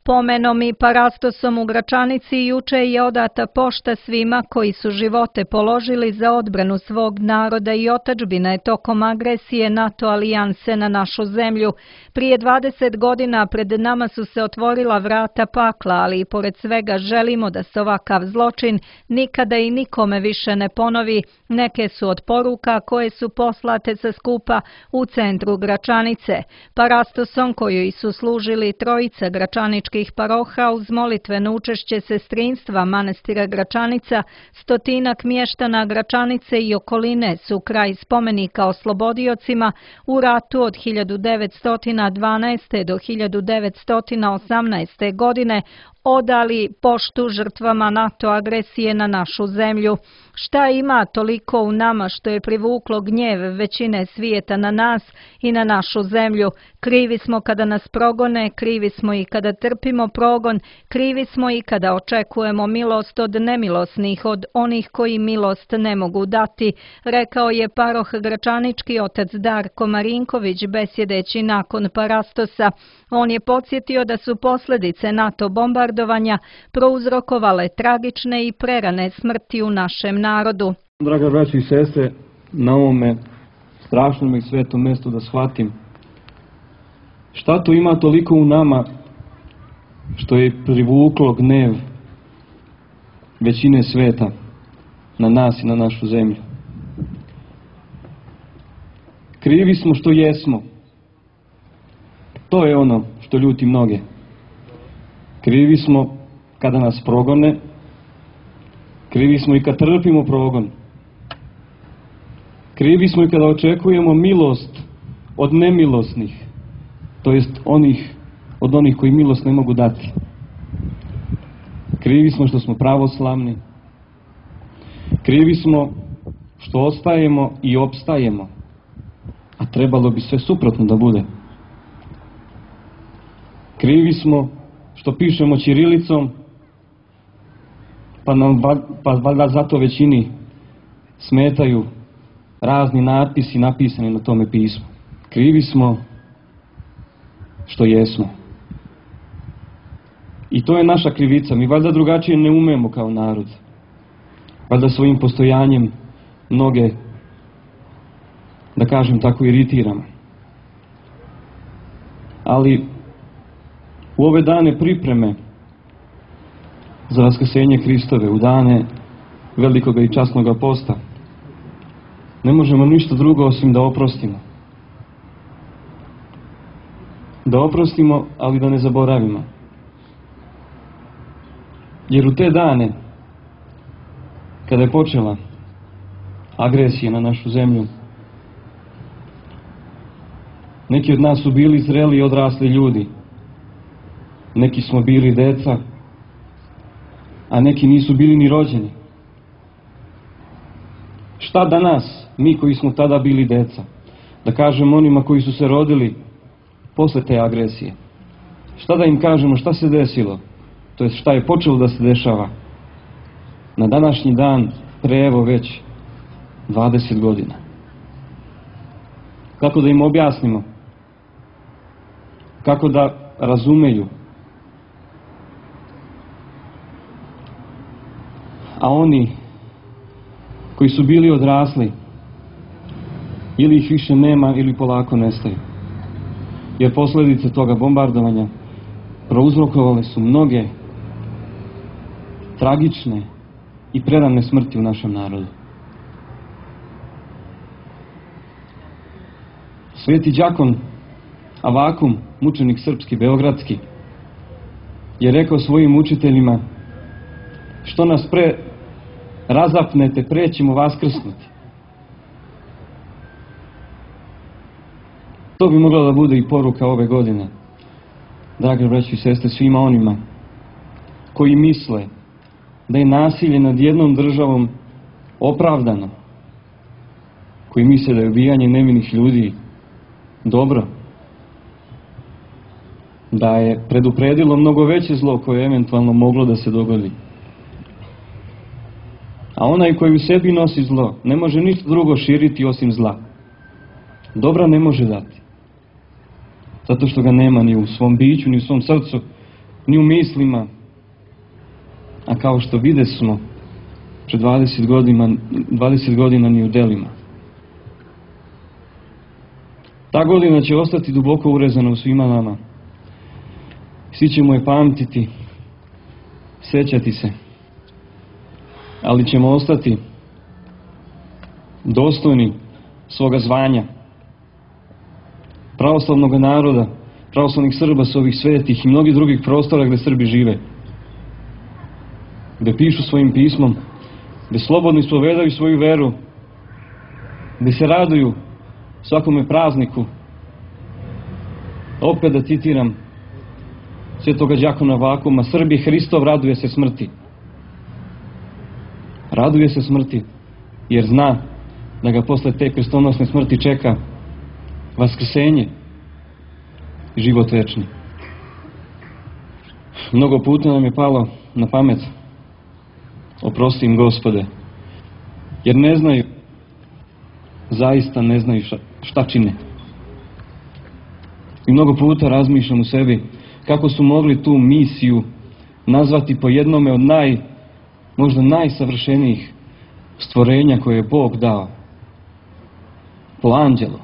Pomenom i parastosom u Gračanici juče je odata pošta svima koji su živote položili za odbranu svog naroda i otadžbine tokom agresije NATO alijanse na našu zemlju. Prije 20 godina pred nama su se otvorila vrata pakla, ali i pored svega želimo da se ovakav zločin nikada i nikome više ne ponovi. Neke su od poruka koje su poslate sa skupa u centru Gračanice. Parastosom kojoj su služili trojica gračaničkih paroha uz molitveno učešće sestrinstva manastira Gračanica, stotinak mještana Gračanice i okoline su kraj spomenika oslobodiocima u ratu od 1912. do 1918. godine odali poštu žrtvama NATO agresije na našu zemlju. Šta ima toliko u nama što je privuklo gnjev većine svijeta na nas i na našu zemlju? Krivi smo kada nas progone, krivi smo i kada trpimo progon, krivi smo i kada očekujemo milost od nemilosnih, od onih koji milost ne mogu dati, rekao je paroh gračanički otac Darko Marinković besjedeći nakon parastosa. On je podsjetio da su posljedice NATO bombardovanja prouzrokovale tragične i prerane smrti u našem narodu. Draga braćo i sestre, na ovome strašnom i svetom mjestu da shvatim šta to ima toliko u nama što je privuklo gnev većine sveta na nas i na našu zemlju. Krivi smo što jesmo. To je ono što ljuti mnoge. Krivi smo kada nas progone, krivi smo i kad trpimo progon. Krivi smo i kada očekujemo milost od nemilosnih, to jest od onih koji milost ne mogu dati. Krivi smo što smo pravoslavni. Krivi smo što ostajemo i opstajemo, a trebalo bi sve suprotno da bude. Krivi smo što pišemo ćirilicom, pa valjda zato većini smetaju razni natpisi napisani na tome pismu. Krivi smo što jesmo. I to je naša krivica. Mi valjda drugačije ne umemo kao narod. Valjda svojim postojanjem mnoge, da kažem tako, iritiramo. Ali u ove dane pripreme za vaskrsenje Hristove, u dane velikoga i časnoga posta, ne možemo ništa drugo osim da oprostimo. Da oprostimo, ali da ne zaboravimo. Jer u te dane, kada je počela agresija na našu zemlju, neki od nas su bili zreli i odrasli ljudi. Neki smo bili deca, a neki nisu bili ni rođeni. Šta danas, mi koji smo tada bili deca, da kažemo onima koji su se rodili posle te agresije? Šta da im kažemo, šta se desilo? To jest šta je počelo da se dešava na današnji dan pre evo već 20 godina? Kako da im objasnimo? Kako da razumeju? A oni koji su bili odrasli, ili ih više nema ili polako nestaju. Jer posljedice toga bombardovanja prouzrokovale su mnoge tragične i prerane smrti u našem narodu. Sveti đakon Avakum, mučenik srpski, beogradski, je rekao svojim učiteljima: što nas pre razapnete, pre ćemo vaskrsnuti. To bi mogla da bude i poruka ove godine, drage braći i sestre, svima onima koji misle da je nasilje nad jednom državom opravdano, koji misle da je ubijanje nevinih ljudi dobro, da je predupredilo mnogo veće zlo koje je eventualno moglo da se dogodi. A onaj koji u sebi nosi zlo ne može ništa drugo širiti osim zla. Dobra ne može dati. Zato što ga nema ni u svom biću, ni u svom srcu, ni u mislima, a kao što vide smo pred 20 godina ni u delima. Ta godina će ostati duboko urezana u svima nama. Svi ćemo je pamtiti, sećati se, ali ćemo ostati dostojni svoga zvanja, pravoslavnog naroda, pravoslavnih Srba s ovih svetih i mnogih drugih prostora gde Srbi žive, gde pišu svojim pismom, gde slobodno ispovedaju svoju veru, gde se raduju svakome prazniku. Opet da citiram svetoga đakona Vakuma: Srbi, Hristov raduje se smrti. Raduje se smrti, jer zna da ga posle te krstonosne smrti čeka vaskrsenje i život večni. Mnogo puta nam je palo na pamet: oprosti im, Gospode, jer ne znaju, zaista ne znaju šta čine. I mnogo puta razmišljam u sebi kako su mogli tu misiju nazvati po jednome od možda najsavršenijih stvorenja koje je Bog dao, po anđelu.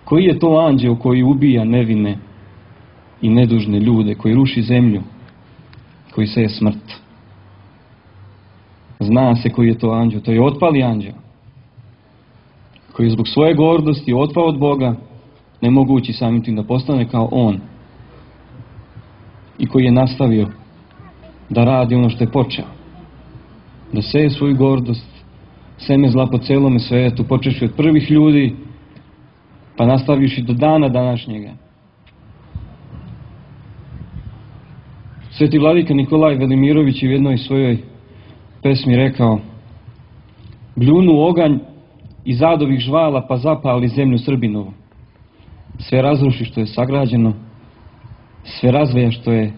Koji je to anđeo koji ubija nevine i nedužne ljude, koji ruši zemlju, koji seje smrt? Zna se koji je to anđeo, to je otpali anđeo, koji je zbog svoje gordosti otpao od Boga, ne mogući samim tim da postane kao on, i koji je nastavio da radi ono što je počeo, da seje svoju gordost, seme zla po celome svetu, počevši od prvih ljudi, pa nastavivši do dana današnjega. Sveti vladika Nikolaj Velimirović je u jednoj svojoj pesmi rekao: bljunu oganj iz adovih žvala, pa zapali zemlju Srbinovu. Sve razruši što je sagrađeno, sve razveja što je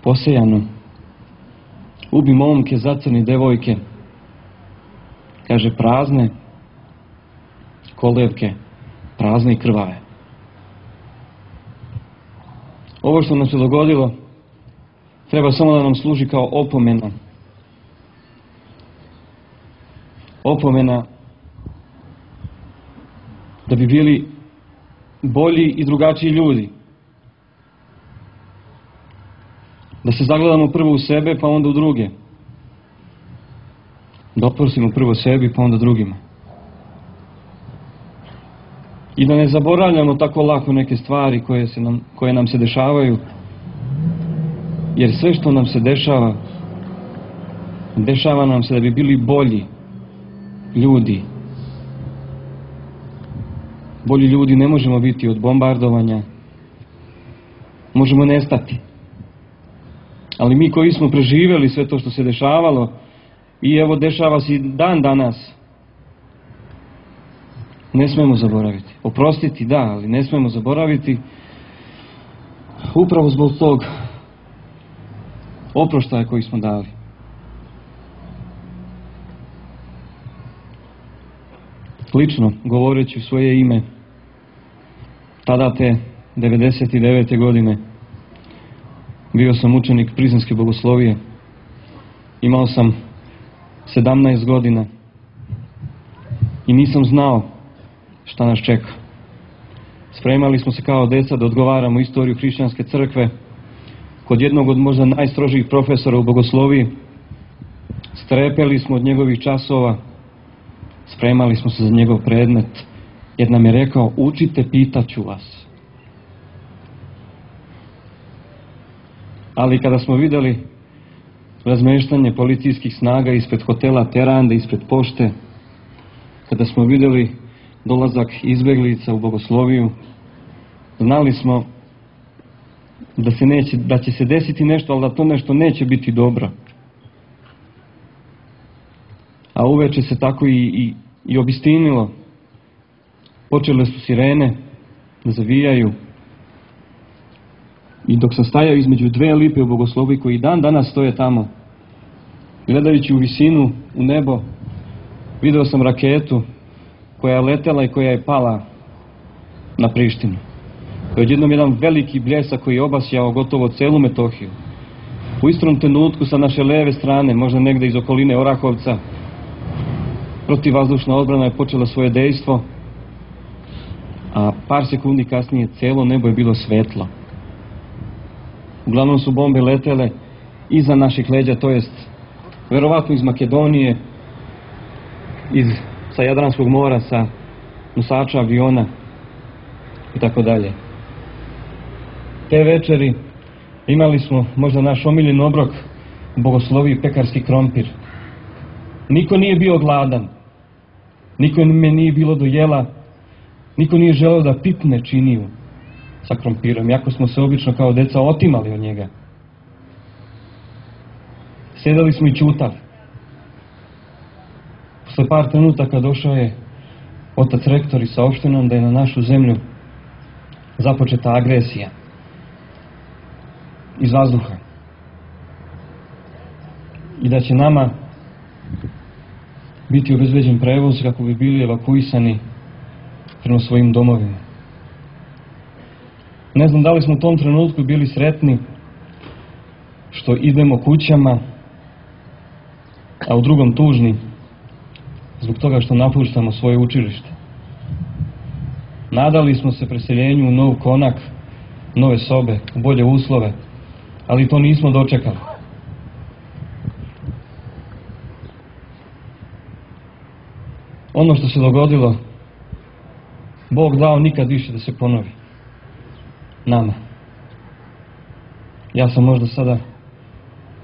posejano. Ubi momke, zacrni devojke, kaže, prazne kolevke, prazne i krvave. Ovo što nam se dogodilo treba samo da nam služi kao opomena. Opomena da bi bili bolji i drugačiji ljudi. Da se zagledamo prvo u sebe, pa onda u druge. Da oprostimo prvo sebi, pa onda drugima. I da ne zaboravljamo tako lako neke stvari koje nam se dešavaju, jer sve što nam se dešava, dešava nam se da bi bili bolji ljudi. Bolji ljudi ne možemo biti od bombardovanja, možemo nestati. Ali mi koji smo preživjeli sve to što se dešavalo, i evo dešava se i dan danas, ne smemo zaboraviti. Oprostiti da, ali ne smemo zaboraviti, upravo zbog tog oproštaja koji smo dali. Lično, govoreći u svoje ime, tada te 99. godine bio sam učenik Prizrenske bogoslovije. Imao sam 17 godina i nisam znao šta nas čeka. Spremali smo se kao deca da odgovaramo istoriju hrišćanske crkve kod jednog od možda najstrožijih profesora u bogosloviji. Strepeli smo od njegovih časova, spremali smo se za njegov predmet, jer nam je rekao: učite, pitaću vas. Ali kada smo videli razmeštanje policijskih snaga ispred hotela Terande, ispred pošte, kada smo videli dolazak izbeglica u bogosloviju, znali smo da će se desiti nešto, ali da to nešto neće biti dobro. A uveče se tako i obistinilo. Počele su sirene da zavijaju. I dok sam stajao između dve lipe u bogosloviji koji dan danas stoje tamo, gledajući u visinu, u nebo, video sam raketu koja je letela i koja je pala na Prištinu. To je odjednom jedan veliki bljesak koji je obasjao gotovo celu Metohiju. U istom trenutku sa naše leve strane, možda negde iz okoline Orahovca, protivvazdušna odbrana je počela svoje dejstvo, a par sekundi kasnije celo nebo je bilo svetlo. Uglavnom su bombe letele iza naših leđa, to jest verovatno iz Makedonije, sa Jadranskog mora, sa nosača aviona i tako dalje. Te večeri imali smo možda naš omiljen obrok, bogosloviji pekarski krompir. Niko nije bio gladan, niko me nije bilo do jela, niko nije želeo da pipne činiju sa krompirom, jako smo se obično kao deca otimali od njega. Sjedali smo i ćutali. Posle par trenutaka došao je otac rektor i saopštio nam da je na našu zemlju započeta agresija iz vazduha i da će nama biti obezbeđen prevoz kako bi bili evakuisani prema svojim domovima. Ne znam da li smo u tom trenutku bili sretni što idemo kućama, a u drugom tužni zbog toga što napuštamo svoje učilište. Nadali smo se preseljenju u nov konak, nove sobe, u bolje uslove, ali to nismo dočekali. Ono što se dogodilo, Bog dao nikad više da se ponovi. Nama. Ja sam možda sada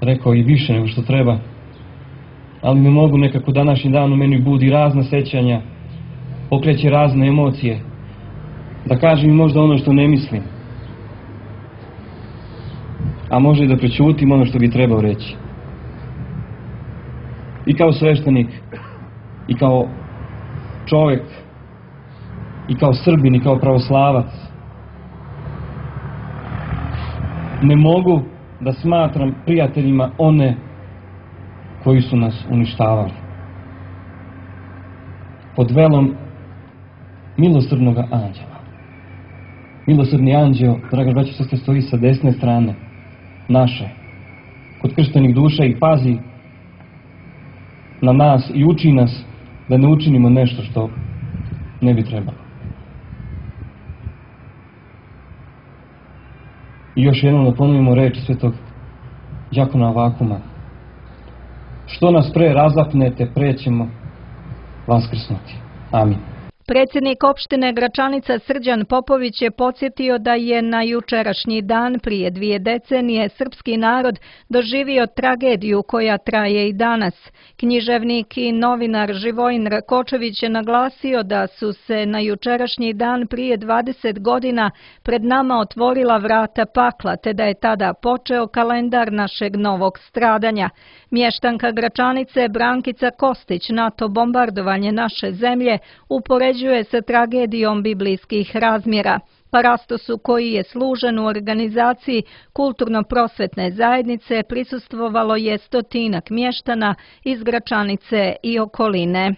rekao i više nego što treba, ali ne mogu, nekako današnji dan u meni budi razna sećanja, pokreće razne emocije, da kažem i možda ono što ne mislim, a može i da prećutim ono što bi trebao reći. I kao sveštenik, i kao čovjek, i kao Srbin, i kao pravoslavac, ne mogu da smatram prijateljima one koji su nas uništavali. Pod velom milosrdnog anđela. Milosrdni anđeo, draga braćo i sestre, stoji sa desne strane naše, kod krštenih duša, i pazi na nas i uči nas da ne učinimo nešto što ne bi trebalo. I još jednom da ponovimo reč svetog đakona Avakuma: što nas pre razapnete, pre ćemo vaskrsnuti. Amin. Predsjednik opštine Gračanica Srđan Popović je podsjetio da je na jučerašnji dan prije 2 decenije srpski narod doživio tragediju koja traje i danas. Književnik i novinar Živojin Rakočević je naglasio da su se na jučerašnji dan prije 20 godina pred nama otvorila vrata pakla, te da je tada počeo kalendar našeg novog stradanja. Mještanka Gračanice Brankica Kostić NATO bombardovanje naše zemlje upoređuje sa tragedijom biblijskih razmjera. Parastosu koji je služen u organizaciji kulturno-prosvetne zajednice prisustvovalo je 100-ak mještana iz Gračanice i okoline.